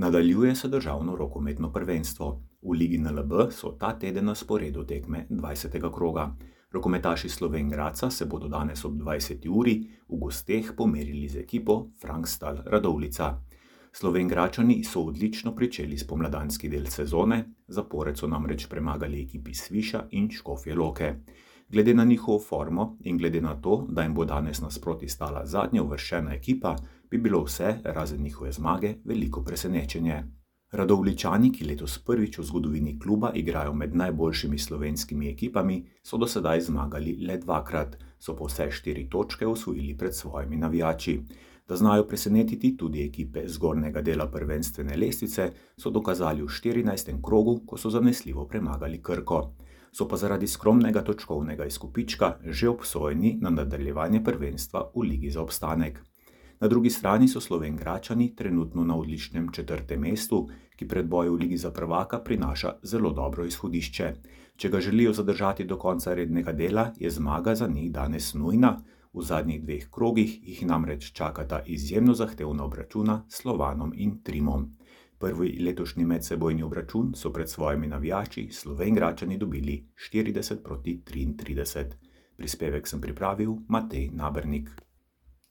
Nadaljuje se državno rokometno prvenstvo. V Ligi NLB so ta teden na sporedu tekme 20. kroga. Rokometaši Slovenj Gradca se bodo danes ob 20. uri v gosteh pomerili z ekipo Frankstal Radovljica. Slovenjgradčani so odlično pričeli spomladanski del sezone, zapored so namreč premagali ekipi Sviša in Škofje Loke. Glede na njihovo formo in glede na to, da jim bo danes nasproti stala zadnja uvrščena ekipa, bi bilo vse, razen njihove zmage, veliko presenečenje. Radovljičani, ki letos prvič v zgodovini kluba igrajo med najboljšimi slovenskimi ekipami, so do sedaj zmagali le dvakrat, so pa vse 4 točke osvojili pred svojimi navijači. Da znajo presenetiti tudi ekipe zgornjega dela prvenstvene lestvice, so dokazali v 14. krogu, ko so zanesljivo premagali Krko. So pa zaradi skromnega točkovnega izkupička že obsojeni na nadaljevanje prvenstva v Ligi za obstanek. Na drugi strani so Slovenjgradčani trenutno na odličnem 4. mestu, ki pred boju v Ligi za prvaka prinaša zelo dobro izhodišče. Če ga želijo zadržati do konca rednega dela, je zmaga za njih danes nujna. V zadnjih 2 krogih jih namreč čakata izjemno zahtevna obračuna s Slovanom in Trimom. Prvi letošnji medsebojni obračun so pred svojimi navijači Slovenjgradčani dobili 40-33. Prispevek sem pripravil Matej Nabernik.